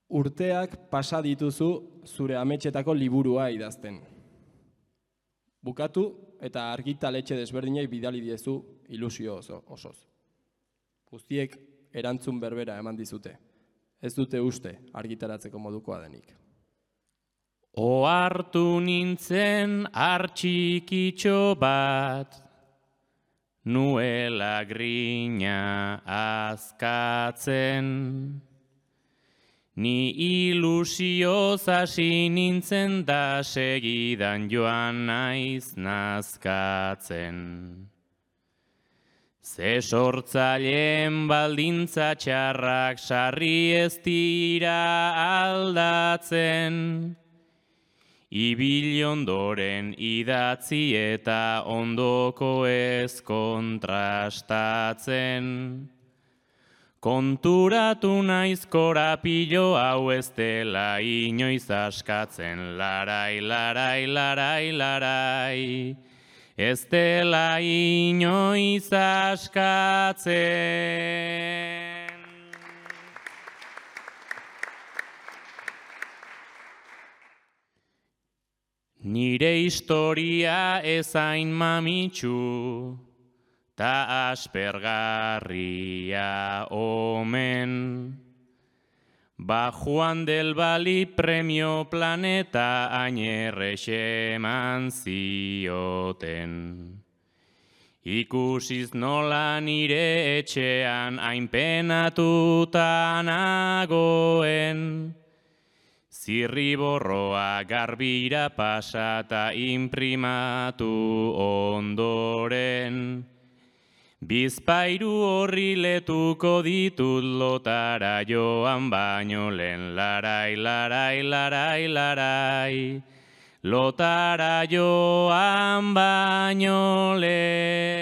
Urteak pasa dituzu zure ametxetako liburua idazten. Bukatu eta argitaletxe desberdinei bidali diezu ilusio osoz. Guztiek erantzun berbera eman dizute. Ez dute uste argitaratzeko modukoa denik. Ohartu nintzen hartxikitxo bat, nuela grina azkatzen. Ni ilusioz hasi nintzen da segidan joan naiz nazkatzen. Ze sortzaileen baldintza txarrak sarri ez dira aldatzen. Ibil ondoren idatzi eta ondoko ez kontrastatzen. Konturatu naiz korapilo hau ez dela inoiz askatzen, larai, larai, larai, larai, ez dela inoiz askatzen. Nire historia ezain mamitsu, ta aspergarria omen. Ba Juan del Bali premio Planeta ainerrexe eman zioten. Ikusiz nola nire etxean hain penatuta nagoen. Zirriborroa garbira pasata inprimatu ondoren. Bizpairu horri letuko ditut lotara joan baino lehen, larai, larai, larai, larai, lotara joan baino lehen.